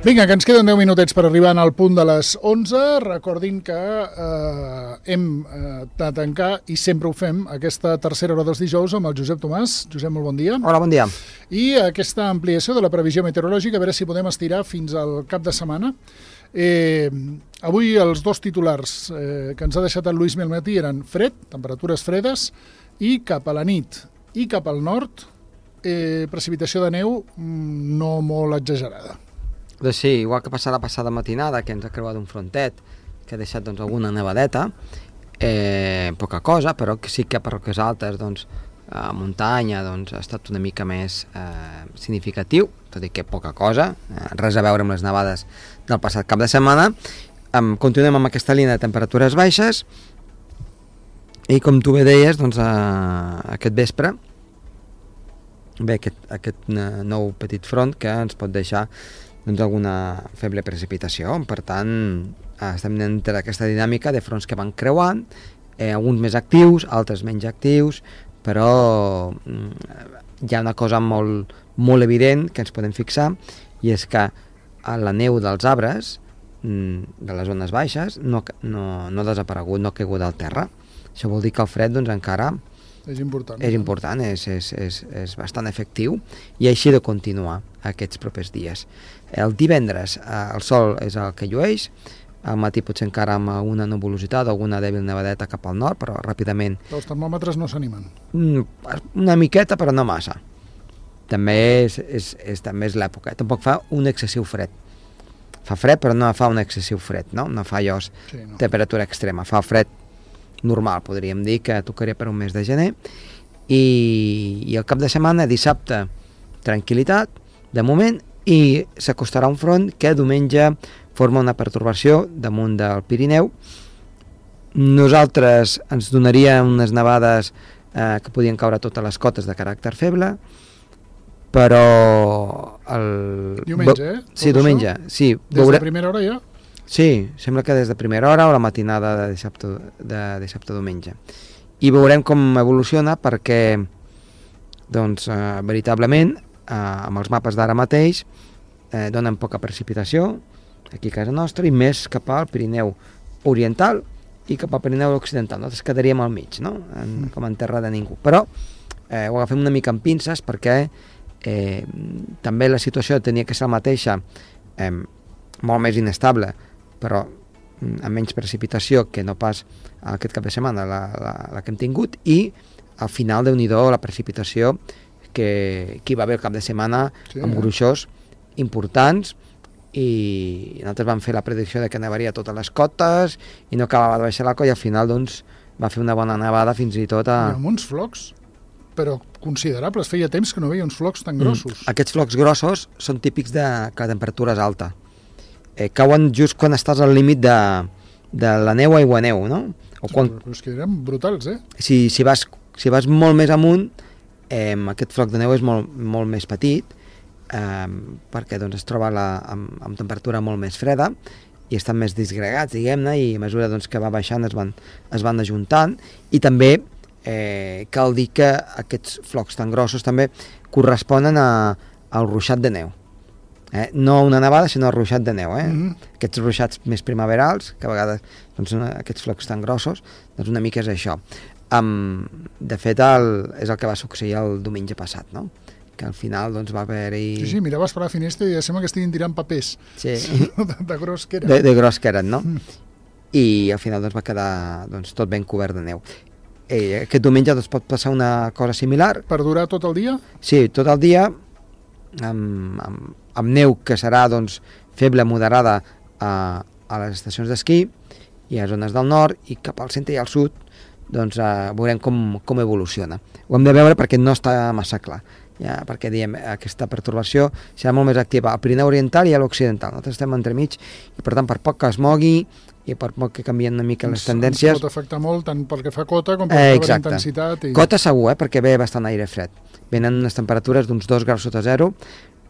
Vinga, que ens queden 10 minutets per arribar al punt de les 11. Recordin que hem de tancar, i sempre ho fem, aquesta tercera hora dels dijous amb el Josep Tomàs. Josep, molt bon dia. Hola, bon dia. I aquesta ampliació de la previsió meteorològica, a veure si podem estirar fins al cap de setmana. Avui els dos titulars que ens ha deixat el Lluís al matí eren fred, temperatures fredes, i cap a la nit i cap al nord, precipitació de neu no molt exagerada. Doncs sí, igual que passar la passada matinada, que ens ha creuat un frontet, que ha deixat alguna nevadeta, poca cosa, però que sí que per roques altes, a muntanya, ha estat una mica més significatiu, tot i que poca cosa, res a veure amb les nevades del passat cap de setmana. Continuem amb aquesta línia de temperatures baixes, i com tu bé deies, aquest vespre ve aquest nou petit front que ens pot deixar alguna feble precipitació. Per tant, estem entre aquesta dinàmica de fronts que van creuant, alguns més actius, altres menys actius, però hi ha una cosa molt, molt evident que ens podem fixar, i és que la neu dels arbres de les zones baixes no ha desaparegut, no ha caigut al terra. Això vol dir que el fred encara és important, és bastant efectiu, i així de continuar aquests propers dies. El divendres el sol és el que llueix, al matí potser encara amb una nuvolositat o alguna dèbil nevadeta cap al nord, però ràpidament... Els termòmetres no s'animen? Una miqueta, però no massa. També és l'època. Tampoc fa un excessiu fred. Fa fred, però no fa un excessiu fred, no? No fa allò temperatura extrema, fa fred normal, podríem dir, que tocaria per un mes de gener. I el cap de setmana, dissabte, tranquil·litat, de moment, i s'acostarà un front que diumenge forma una pertorbació damunt del Pirineu. Nosaltres ens donaria unes nevades que podien caure a totes les cotes de caràcter feble, però... Diumenge, Sí, diumenge. Sí, des de primera hora ja? Sí, sembla que des de primera hora o la matinada de dissabte a diumenge. I veurem com evoluciona, perquè veritablement amb els mapes d'ara mateix donen poca precipitació aquí a casa nostra, i més cap al Pirineu oriental i cap al Pirineu occidental. Nosaltres quedaríem al mig, no? Com en terra de ningú. Però ho agafem una mica amb pinces, perquè també la situació tenia que ser la mateixa, molt més inestable, però amb menys precipitació que no pas aquest cap de setmana la que hem tingut, i al final, Déu-n'hi-do, la precipitació que hi va haver el cap de setmana, amb gruixos importants, i nosaltres vam fer la predicció de que nevaria a totes les cotes i no acabava de baixar la colla, i al final va fer una bona nevada fins i tot a... I amb uns flocs, però considerables. Feia temps que no veia uns flocs tan grossos. Aquests flocs grossos són típics de que la temperatura és alta. Cauen just quan estàs al límit de la neu a aigua-neu, no? Però és que eren brutals, Si vas molt més amunt, aquest floc de neu és molt més petit, perquè es troba amb temperatura molt més freda, i estan més disgregats, diguem-ne, i a mesura que va baixant es van ajuntant. I també cal dir que aquests flocs tan grossos també corresponen al ruixat de neu. No una nevada, sinó el ruixat de neu. Aquests ruixats més primaverals, que a vegades són aquests flocs tan grossos, una mica és això. De fet, és el que va succeir el diumenge passat, no? Que al final va haver-hi... Sí, miraves per la finestra i sembla que estiguin tirant papers. Sí. De gros que eren. De gros que eren, no? I al final va quedar tot ben cobert de neu. Aquest diumenge pot passar una cosa similar. Per durar tot el dia? Sí, tot el dia, amb neu que serà feble, moderada a les estacions d'esquí i a zones del nord, i cap al centre i al sud veurem com evoluciona. Ho hem de veure perquè no està massa clar, perquè diem aquesta pertorbació serà molt més activa al Pirineu oriental i a l'occidental. Nosaltres estem entremig, i per tant, per poc que es mogui i per poc que canvien una mica les tendències... Ens pot afectar molt, tant pel que fa a cota com pel que fa a intensitat. Cota segur, perquè ve bastant aire fred. Venen unes temperatures d'uns 2 graus sota zero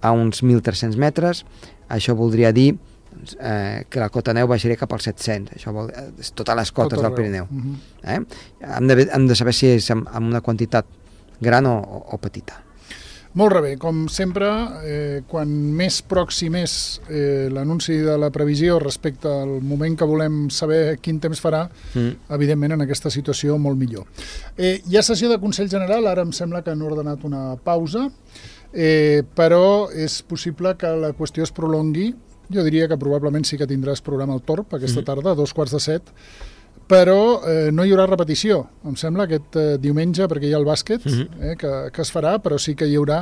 a uns 1.300 metres. Això voldria dir que la cota neu baixaria cap als 700. Això vol dir totes les cotes del Pirineu. Hem de saber si és amb una quantitat gran o petita. Molt bé, com sempre, quan més pròxim és l'anunci de la previsió respecte al moment que volem saber quin temps farà, evidentment en aquesta situació molt millor. Hi ha sessió de Consell General, ara em sembla que han ordenat una pausa, però és possible que la qüestió es prolongui. Jo diria que probablement sí que tindràs programa al Torb aquesta tarda, a 2:45, però no hi haurà repetició, em sembla, aquest diumenge, perquè hi ha el bàsquet, que es farà, però sí que hi haurà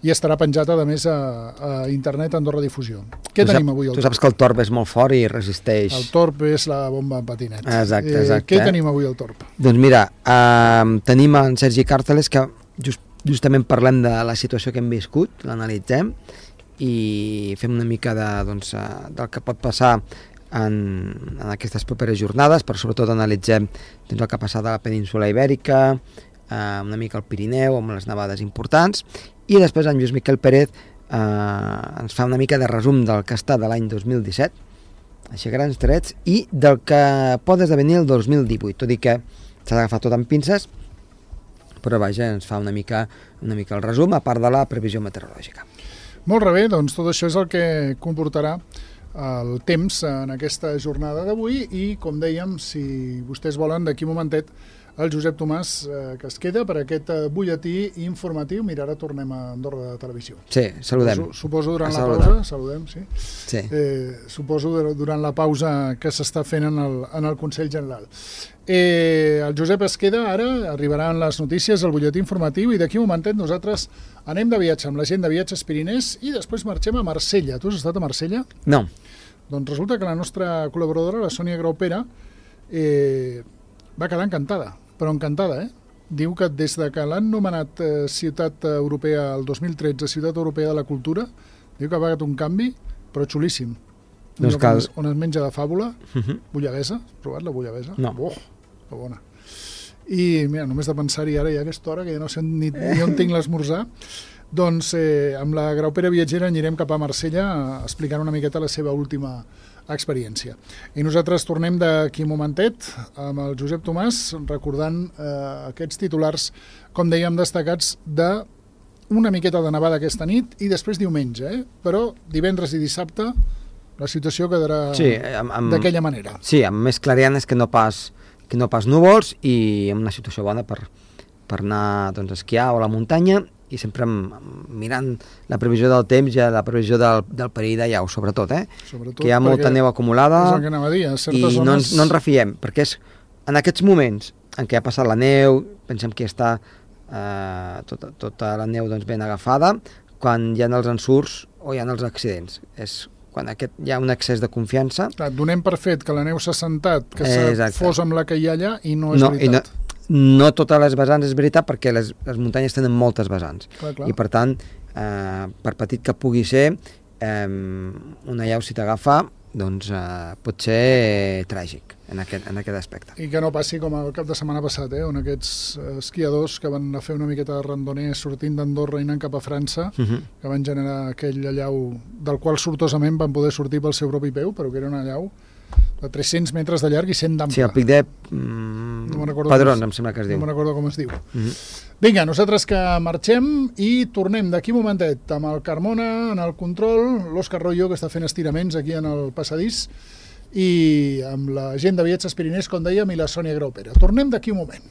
i estarà penjat, a més, a internet Andorra Difusió. Què tenim avui al Torb? Tu saps que el Torb és molt fort i resisteix. El Torb és la bomba en patinet. Exacte. Què tenim avui al Torb? Doncs mira, tenim en Sergi Càrteles, que justament parlem de la situació que hem viscut, l'analitzem, i fem una mica del que pot passar en aquestes properes jornades, però sobretot analitzem el que ha passat a la península Ibèrica, una mica al Pirineu, amb les nevades importants, i després en Lluís Miquel Pérez ens fa una mica de resum del que ha estat de l'any 2017, així grans trets, i del que pot esdevenir el 2018, tot i que s'ha d'agafar tot amb pinces, però vaja, ens fa una mica el resum, a part de la previsió meteorològica. Molt bé, doncs tot això és el que comportarà el temps en aquesta jornada d'avui i, com dèiem, si vostès volen, d'aquí un momentet, el Josep Tomàs, que es queda per aquest butlletí informatiu. Mira, ara tornem a Andorra de Televisió. Sí, saludem. Suposo durant la pausa, saludem, sí. Suposo durant la pausa que s'està fent en el Consell General. El Josep es queda, ara arribaran les notícies, el butlletí informatiu, i d'aquí un momentet nosaltres anem de viatge amb la gent de Viatges Pirinès i després marxem a Marsella. Tu has estat a Marsella? No. Doncs resulta que la nostra col·laboradora, la Sònia Graupera, va quedar encantada, però encantada, Diu que des de que l'han nomenat Ciutat Europea el 2013, Ciutat Europea de la Cultura, diu que ha pagat un canvi, però xulíssim. On es menja de fàbula, bullabesa, has provat la bullabesa? No. Que bona. I mira, només de pensar-hi ara, ja a aquesta hora, que ja no sé ni on tinc l'esmorzar, doncs amb la Graupera Viatgera anirem cap a Marsella explicant una miqueta la seva última experiència. I nosaltres tornem d'aquí un momentet amb el Josep Tomàs, recordant aquests titulars, com dèiem, destacats d'una miqueta de nevada aquesta nit i després diumenge, però divendres i dissabte la situació quedarà d'aquella manera. Sí, amb més clarianes que no pas núvols i amb una situació bona per anar a esquiar o a la muntanya, i sempre mirant la previsió del temps i la previsió del perill de llau, sobretot, que hi ha molta neu acumulada i no ens refiem, perquè és en aquests moments en què ha passat la neu, pensem que està tota la neu ben agafada, quan hi ha els ensurts o hi ha els accidents. És quan hi ha un excés de confiança. Clar, donem per fet que la neu s'ha assentat, que s'ha fos amb la que hi ha allà, i no és veritat. No totes les vessants és veritat, perquè les muntanyes tenen moltes vessants. Clar. I per tant, per petit que pugui ser, una llau, si t'agafa, doncs pot ser tràgic en aquest aspecte. I que no passi com el cap de setmana passat, on aquests esquiadors que van a fer una miqueta de randoner sortint d'Andorra i anant cap a França, que van generar aquell llau del qual sortosament van poder sortir pel seu propi peu, però que era una llau de 300 metres de llarg i 100 d'ample. Sí, el pic de Padrons, em sembla que es diu. No me'n recordo com es diu. Vinga, nosaltres que marxem i tornem d'aquí un momentet amb el Carmona en el control, l'Òscar Royo, que està fent estiraments aquí en el passadís, i amb la gent de Viatges Pirinès, com dèiem, i la Sònia Graupera. Tornem d'aquí un moment.